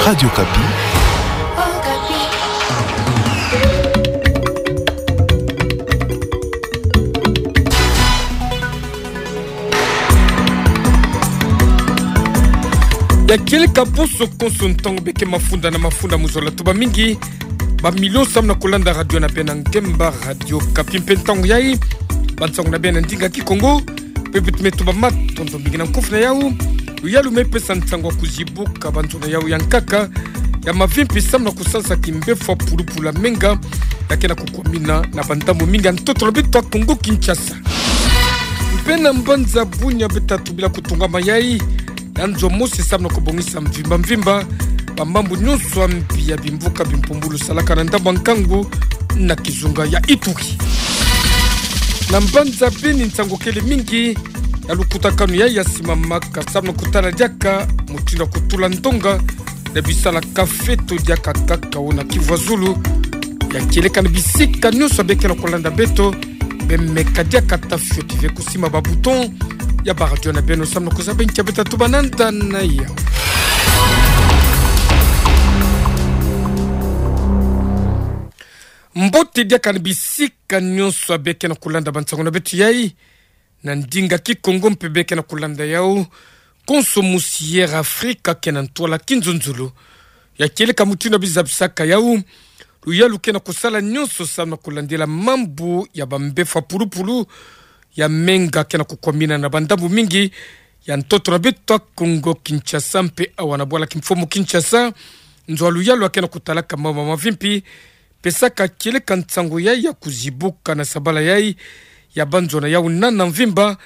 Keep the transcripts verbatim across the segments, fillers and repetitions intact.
Radio Okapi. Ya kieleka bonso konso ntangu beke mafunda na mafunda, muzola tuba mingi bamilio samu na kulanda radio na beno ngemba Radio Okapi mpe ntangu yayi. Bansangu na beno na ndinga Kikongo, mpe beto me tuba matondo mingi. Na nkofi na yau, luyalu me pesa nsangu ya kuzibuka banzona yau ya nkaka ya mavimpi samu na kusansa kimbefo ya pulupulu ya menga, ya ke na kukwamina na bandambu mingi ya ntoto na beto ya Kongo Kinshasa. Mpe na mbanza Bunia beto ta tubila kutungama yayi ya nzo mosi samu na kubongisa mvimba mvimba bamambu nyonso ya mbi ya bimvuka bimpumbulu salaka na ndambu ya nkangu na kizunga ya Ituri. Na mbanza Beni, nsangu kele mingi ya lukutakanu yayi ya simamaka samu na kutala diaka mutindu ya kutula ndonga na bisalaka feto diaka cacao na Kivu ya Zulu. Ya kieleka na bisika nyonso beke na kulanda beto, beno meka diaka ta fioti ve kusimba ba bouton ya ba radio na beno samu na kuzaba nki ya beto ta tuba na nda na yau. Mbote diaka na bisika nyonso beke na kulanda bansangu na beto yayi na ndinga Kikongo mpe beke na kulanda yau konso musi Air Afrique ke na ntwala kinzonzolo. Ya kieleka mutindu ya bizabisaka yau, luyalu ke na kusala nyonso samu na kulandila mambu ya bambefo ya pulupulu ya menga ke na kukwamina na bandambu mingi ya ntoto na beto ya Kongo Kinshasa mpe awa na bwala kimfumu Kinshasa. Nzo ya luyalu ya ke na kutalaka mambu ya mavimpi pesaka kieleka nsangu yayi ya kuzibuka na sabala yayi ya banzona yau nana mvimba,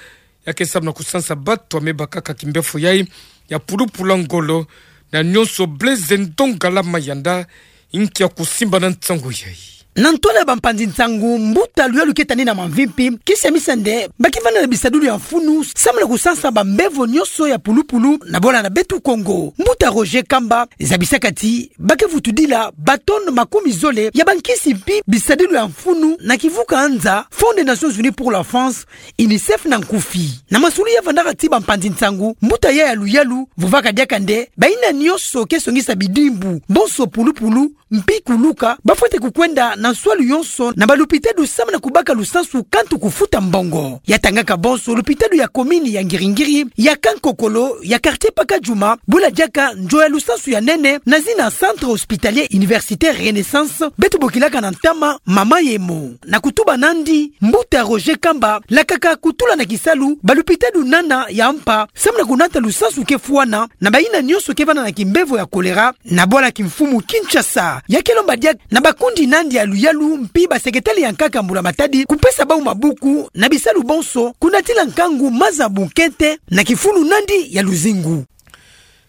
ya ke samu na kusansa bato ya me bakaka kimbefo yayi ya pulupulu ya ngolo. Na nyonso, Blaise Ndongala Mayanda, inki ya kusimba na nsangu yayi. Na ntwala ya bampanzi nsangu, mbuta luyalu ke tani na mavimpi kisa misa nde ba ke vanda na bisadulu ya mfunu samu na kusansa bambevo nyonso ya pulupulu na bwala na beto Kongo. Mbuta Roger Kamba zabisaka ti ba ke vutudila ba tonnes makumi zole ya bankisi mpi bisadulu ya mfunu na kivuka nza Fonds des Nations Unies pour l'Enfance, UNICEF na nkufi. Na masulu ya vandaka ti bampanzi nsangu, mbuta yayi ya luyalu vovaka diaka nde bayina nyonso ke songisa bidimbu bonso pulupulu mpi kuluka, ba fwete kukwenda na nswalu yonso na balupitadu samu na kubaka lusansu kantu kufuta mbongo. Ya tangaka bonso lupitadu ya komini ya Ngiri-Ngiri, ya Kankokolo, ya quartier Pakadjuma, bula diaka nzo ya lusansu ya nene na zina Centre Hospitalier Universitaire Renaissance, beto bokilaka na ntama Mama Yemo. Na kutuba nandi, mbuta Roger Kamba lakaka kutula na kisalu balupitadu nana ya mpa samu na kunata lusansu ke fwana na bayina nyonso ke vanda na kimbevo ya kolera na bwala kimfumu Kinshasa. Ya ke lomba diaka na bakundi nandi ya luyalu mpi baseketali ya nkaka mbula-matadi kupesa bau mabuku na bisalu bonso, kunatila nkangu maza bunkete na kifulu nandi ya luzingu.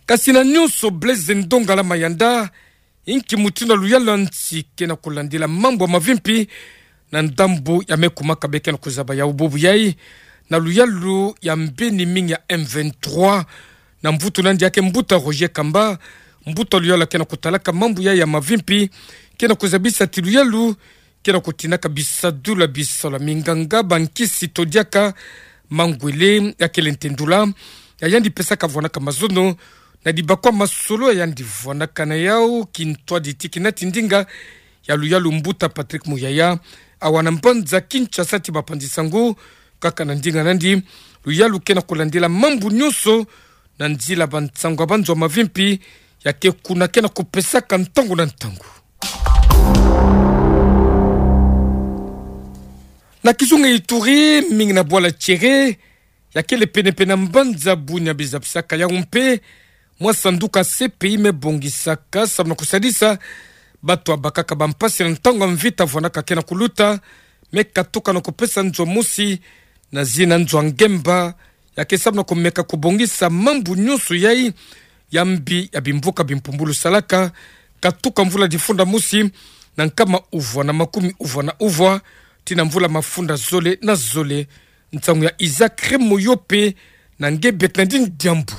Kasi na nyonso, Blaise Ndongala Mayanda, inki mutindu ya luyalu ya nsi ke na kulandila mambu ya mavimpi na ndambu ya me kumaka beke na kuzaba yau bubu yayi na luyalu ya mbeni mingi ya M vingt-trois, na mvutu nandi ya ke mbuta Roger Kamba, mbuta luyalu ya ke na kutalaka mambu yayi ya mavimpi, ke na kuzabisa ti luyalu ke na kutinaka bisadulu ya bisalu ya minganga, bankisi to diaka mangwele ya kele ntendula ya yandi pesaka vwanaka mazono na dibakwa masolo ya yandi vwanaka na yau, kintwadi ti kinati ndinga ya luyalu mbuta Patrick Muyaya, awa na mbanza Kinshasa ti bapanzi nsangu, kaka na ndinga nandi, luyalu ke na kulandila mambu nyonso na nzila bansangu ya banzo ya mavimpi ya ke kuna ke na kupesaka ntangu na ntangu. Na kizunga Ituri, mingi na bwala Tiéré, ya kele pene-pene na mbanza Bunia, bizabisaka yau mpe mwa sanduka C P I me bongisaka samu na kusadisa bato ya bakaka bampasi na ntangu ya mvita vwanaka ke na kuluta, me katuka na kupesa nzo mosi na zina nzo ya ngemba, ya ke samu na kumeka kubongisa mambu nyonso yayi ya mbi ya bimvuka bimpumbulu salaka, katuka mvula difunda mosi na nkama uvwa na makumi uvwa na uvwa tii na mvula mafunda zole na zole. Nsangu ya Isaac Remo Yope na nge Bernardine Diambu.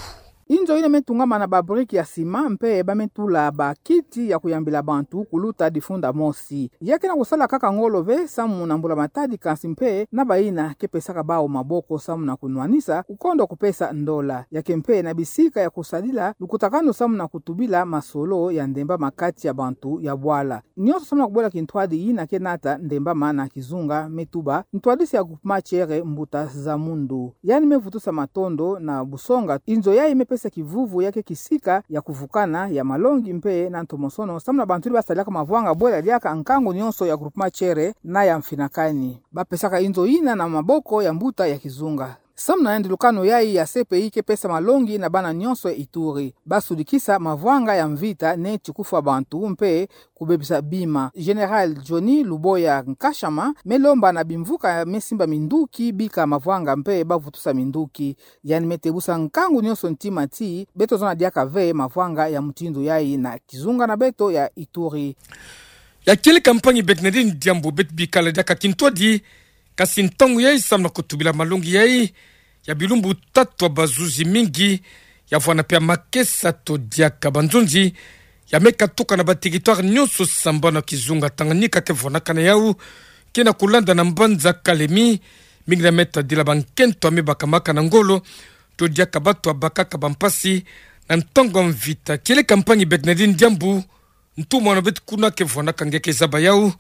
Inzo ina me tungama na ba brique ya ciment mpe ba me tula ba kiti ya kuyambila bantu kuluta difunda mosi. Ya ke na kusala kaka ngolo ve samu na mbula-matadi, kansi mpe na bayina ke pesaka bawu maboko samu na kunwanisa, kukondo kupesa ndola. Ya ke mpe na bisika ya kusadila lukutakanu samu na kutubila masolo ya ndembama kati ya bantu ya bwala. Nionso samu na kubwela kintwadi yina ke nata ndembama na kizunga me tuba ntwadisi ya groupement Tiere, mbuta Zamundu. Yandi me vutusa matondo na busonga inzo yayi me pesa kivuvu ya ke kisika ya kuvukana ya malongi mpe na ntomosono samu na bantu yina ba sadilaka mavwanga bwela diaka nkangu nionso ya groupement Tiere na ya Mfinakani. Ba pesaka inzo yina na maboko ya mbuta ya kizunga. Samu na yandi lukanu yayi ya C P I ke pesa malongi na bana nionso ya Ituri. Ba sudikisa mavwanga ya mvita neti kufwa bantu mpe kubebisa bima. Général Johnny Luboya Nkashama me lomba na bimvuka me simba minduki bika mavwanga mpe ba vutusa minduki. Yandi me tebusa nkangu nionso ntima ti beto zona diaka ve mavwanga ya mutindu yayi na kizunga na beto ya Ituri. Ya kieleka mpangi Bernardine Diambu, beto bikala diaka kintwadi, kasi ntangu yayi samu na kutubila malongi yayi, ya bilumbu tatu ya bazuzi mingi, ya vwanda mpe ya makesa to diaka banzonzi, ya me katuka na ba territoire nionso sambanu ya kizunga Tanganyika ke vwandaka na yawu, ke na kulanda na mbanza Kalemi, mingi na me tadila bankento ya me bakamaka na ngolo, to diaka bato ya bakaka bampasi na ntangu ya mvita. Kieleka mpangi Bernardine Diambu, ntumwa na beto kuna ke vwandaka nge ke zaba yawu,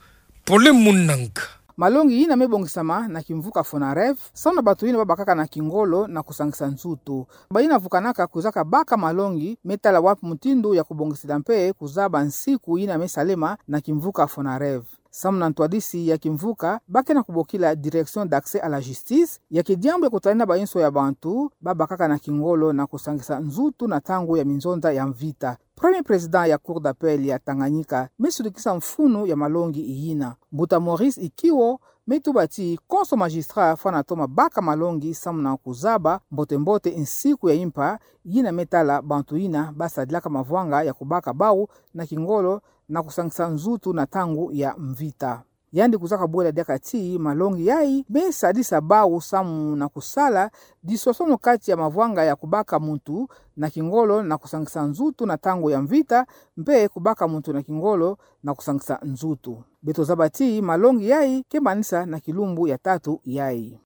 Pole Munanga. Malongi yina me bongisama na kimvuka Fonarev, samu na bato yina ba bakaka na kingolo na kusangisa nzutu. Bayina vukanaka kwizaka baka malongi me tala wapi mutindu ya kubongisila mpe kuzaba nsiku yina me salema na kimvuka Fonarev. Samu na ntwadisi ya kimvuka, ba ke na kubokila Direction d'accès à la justice, ya ke diambu ya kutalenda bayinso ya bantu ba bakaka na kingolo na kusangisa nzutu na ntangu ya minzonza ya mvita. Premier président ya Cour d'appel ya Tanganyika me sudikisa mfunu ya malongi yina. Mbuta Maurice Ikiwo me tuba ti konso magistrat fwana toma baka malongi samu na kuzaba mbote-mbote nsiku ya impa yina me tala bantu yina ba sadilaka mavwanga ya kubaka bawu na kingolo na kusangisa nzutu na ntangu ya mvita. Yandi kwizaka bwela diaka ti malongi yayi me sadisa bawu samu na kusala disosono kati ya mavwanga ya kubaka muntu na kingolo na kusangisa nzutu na ntangu ya mvita, mpe kubaka muntu na kingolo na kusangisa nzutu. Beto zaba ti malongi yayi ke manisa na kilumbu ya tatu yayi.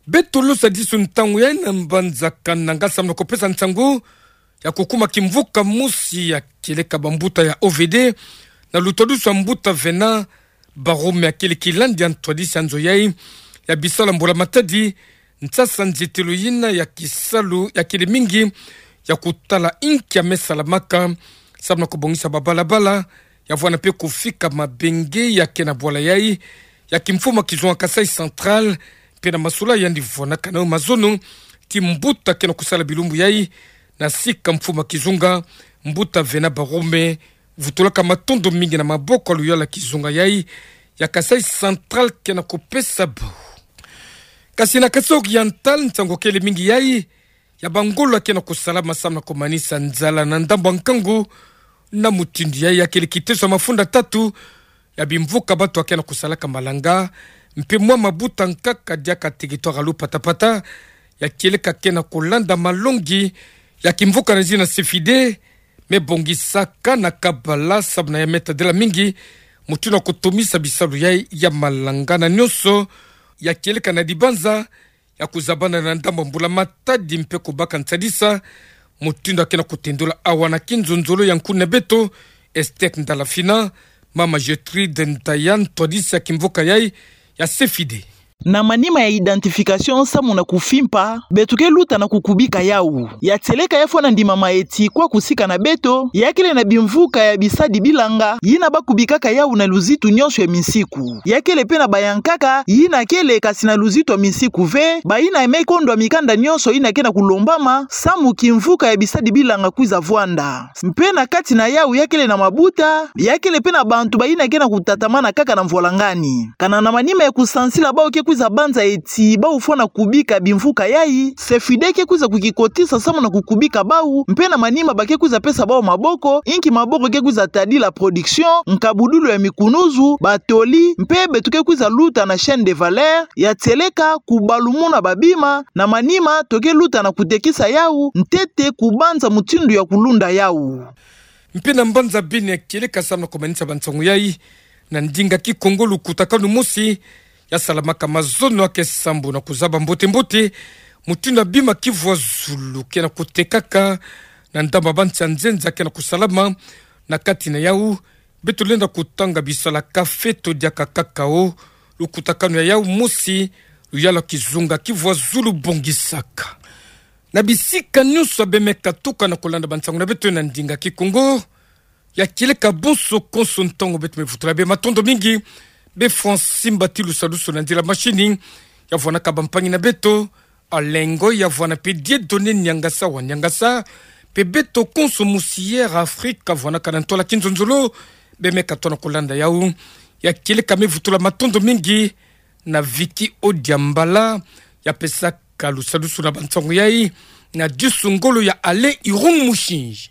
Beto losa disu ntangu yayi na mbanza Kananga samu na kupesa nsangu ya kukuma kimvuka mosi ya kieleka bambuta ya O V D, na lutwadusu ya mbuta Vena Barume, ya kieleka kilandi ya ntwadisi ya nzo yayi ya bisalu ya mbula-matadi, nsasa nzitelo yina ya kisalu ya kele mingi ya kutala inki ya me salamaka samu na kubongisa babalabala, ya vwanda mpe kufika mabenge ya ke na bwala yayi ya kimfumu ya kizunga Kasaï Central, mpe na masolo yandi vwandaka na yo mazono ti mbuta ke na kusala bilumbu yayi na sika mfumu ya kizunga, mbuta Vena Barume vutulaka matondo mingi na maboko ya luyalu ya kizunga yayi ya Kasaï Central ke na kupesa bawu. Kasi na Kasaï Oriental, nsangu kele mingi yayi ya bangolo ya ke na kusalama samu na kumanisa nzala na ndambu ya nkangu. Na mutindu yayi, ya kele kiteso ya mafunda tatu ya bimvuka bato ya ke na kusalaka malanga, mpe mwa mabuta nkaka diaka territoire ya Lupatapata, ya kieleka ke na kulanda malongi ya kimvuka na zina CEFIDE, me bongisaka na kabala samu na ya me tadila mingi mutindu ya kutomisa bisalu yayi ya malanga na nionso, ya kieleka na dibanza ya kuzabana na ndambu ya mbula-matadi mpe kubaka nsadisa, mutindu ya ke na kutendula awa na kinzonzolo ya nkuna beto Esther Ndala Fina, mama Gertrude Ndaya, ntwadisi ya kimvuka yayi ya CEFIDE. Na manima ya identification samu na kufimpa, beto ke luta na kukubika yawu. Ya tieleka ya fwana ndimama eti kwa kusika na beto, ya kele na bimvuka ya bisadi bilanga, yina ba kubikaka yawu na luzitu nionso ya minsiku. Ya kele mpe na bayankaka, yina kele kasi na luzitu ya minsiku ve, bayina me kondwa mikanda nionso yina ke na kulombama, samu kimvuka ya bisadi bilanga kwiza vwanda. Mpe na kati na yawu ya kele na mabuta, ya kele mpe na bantu bayina ke na kutatamana kaka na mvwalangani. Kana na manima ya kusansila bawu ke kwiza banza eti bau fwana kubika bimvuka yai, SEFIDEH ke kwiza kukikotisa samu na kukubika bau, mpe na manima ba ke kwiza pesa bau maboko, inki maboko ke kwiza tadila production, nkabudulu ya mikunuzu, batoli, mpe beto ke kwiza luta na chaîne de valeur, ya tieleka, kubalumuna babima, na manima, to ke luta na kutekisa yau, ntete kubanza mutindu ya kulunda yau. Mpe na mbanza bini ya kieleka samu na kumanisa bansangu yai, na ndinga Kikongo lukutakanu mosi, ya salamaka mazono ake sambu na kuzaba mbote-mbote, mutindu ya bima kivwa zulu ke na kutekaka, na ndamba bansi ya nzenza ke na kusalama, na kati na yau, beto lenda kutanga bisalaka feto diaka kakao, lukutakanu ya yau mosi, luyala kizunga kivwa zulu bongisaka. Na bisika nyonso bemeka tuka na kulanda bansangu na beto na ndinga Kikongo, ya kieleka bonso konso ntangu beto me vutula bê matondo mingi, bê Francis Mbati Lusalusu na nziri ya machini, ya vwanaka bampangi na beto, Alengo ya vwana mpe Dieudonné Niangasa wa Niangasa, mpe beto konso mosi Air Afrique ya vwanaka na ntwala kinzonzolo, bemeka tona kulanda yau. Ya kieleka me vutula matondo mingi na Vicky Odiambala, ya pesaka lusalusu na bansangu yai, na disu ngolo ya Alain Irung Mushinji.